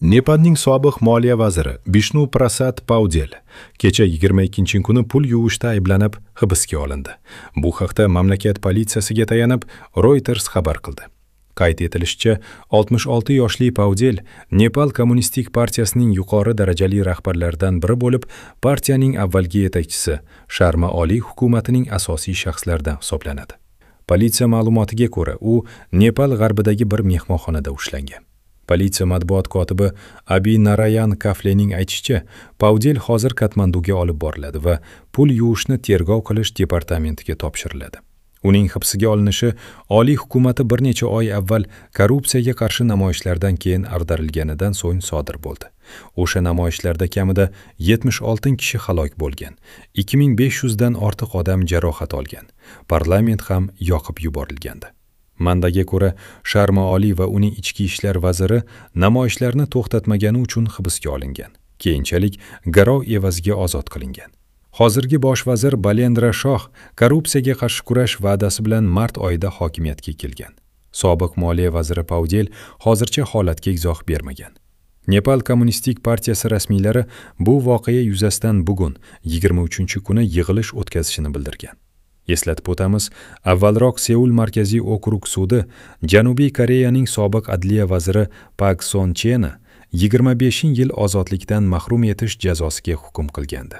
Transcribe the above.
Nepalning sobiq moliya vaziri Bishnu Prasad Paudel kecha 22-kuni pul yuvishda ayblanib hibsga olindi. Bu haqda mamlakat politsiyasiga tayanib Reuters xabar qildi. Qayd etilishicha, 66 yoshli Paudel Nepal Kommunistik partiyasining yuqori darajali rahbarlaridan biri bo'lib, partiyaning avvalgi yetakchisi Sharma Oliy hukumatining asosiy shaxslaridan hisoblanadi. Politsiya ma'lumotiga ko'ra, u Nepal g'arbidagi bir mehmonxonada ushlangan. Politsiya matbuot kotibi Abi Narayan Kaflening aytishicha, Paudel hozir Katmanduga olib boriladi va pul yuvishni tergov qilish departamentiga topshiriladi. Uning hibsga olinishi oliy hukumati bir necha oy avval korrupsiyaga qarshi namoyishlardan keyin ag'darilganidan so'ng sodir bo'ldi. O'sha namoyishlarda kamida 76 kishi halok bo'lgan, 2500 dan ortiq odam jarohat olgan. Parlament ham yoqib yuborilgandi. Manbaga ko'ra, Sharma Oliy va uning ichki ishlar vaziri namoyishlarni to'xtatmagani uchun hibsga olingan. Keyinchalik garov evaziga ozod qilingan. Hozirgi bosh vazir Balendra Shoh korrupsiyaga qarshi kurash va'dasi bilan mart oyida hokimiyatga kelgan. Sobiq moliya vaziri Paudel hozircha holatga izoh bermagan. Nepal Kommunistik partiyasi rasmiylari bu voqea yuzasidan bugun 23-kuni yig'ilish o'tkazishini bildirgan. Eslatib o'tamiz, avvalroq Seul markaziy okrug sudi Janubiy Koreyaning sobiq adliya vaziri Pak Son Cheni 25 yil ozodlikdan mahrum etish jazosiga hukm qilgandi.